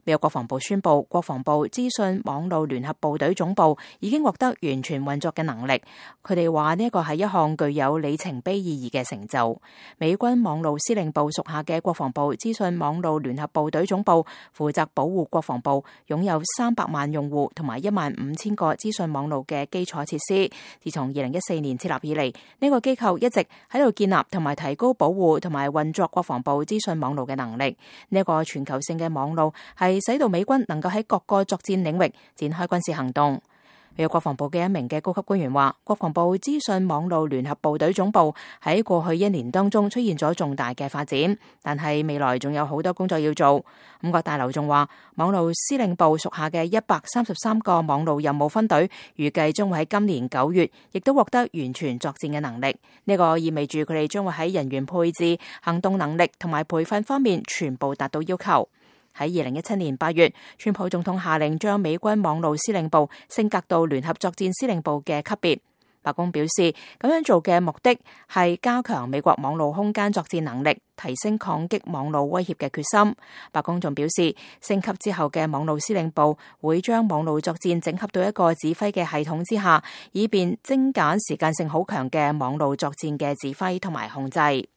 美國國防部宣布，國防部資訊網絡聯合部隊總部已經獲得完全運作嘅能力。佢哋話呢個係一項具有里程碑意義嘅成就。美軍網絡司令部屬下嘅國防部資訊網絡聯合部隊總部負責保護國防部擁有300萬用戶同埋15000個資訊網絡嘅基礎設施。自從2014年設立以嚟，呢個機構一直喺度建立同埋提高保護同埋運作國防部資訊網絡嘅能力。呢個全球性嘅網絡係使到美軍能夠喺各個作戰領域展開軍事行動。美國國防部嘅一名嘅高級官員話，國防部資訊網絡聯合部隊總部喺過去1年當中出現咗重大嘅發展，但係未來仲有好多工作要做。五角大樓仲話，網絡司令部屬下嘅133個網絡任務分隊預計將會喺今年9月亦都獲得完全作戰嘅能力。呢個意味住佢哋將會喺人員配置、行動能力同埋培訓方面全部達到要求。喺2017年8月，川普總統下令將美軍網絡司令部升格到聯合作戰司令部嘅級別。白宮表示，咁樣做嘅目的係加強美國網絡空間作戰能力，提升抗擊網絡威脅嘅決心。白宮仲表示，升級之後嘅網絡司令部會將網絡作戰整合到一個指揮嘅系統之下，以便精簡時間性好強嘅網絡作戰嘅指揮同埋控制。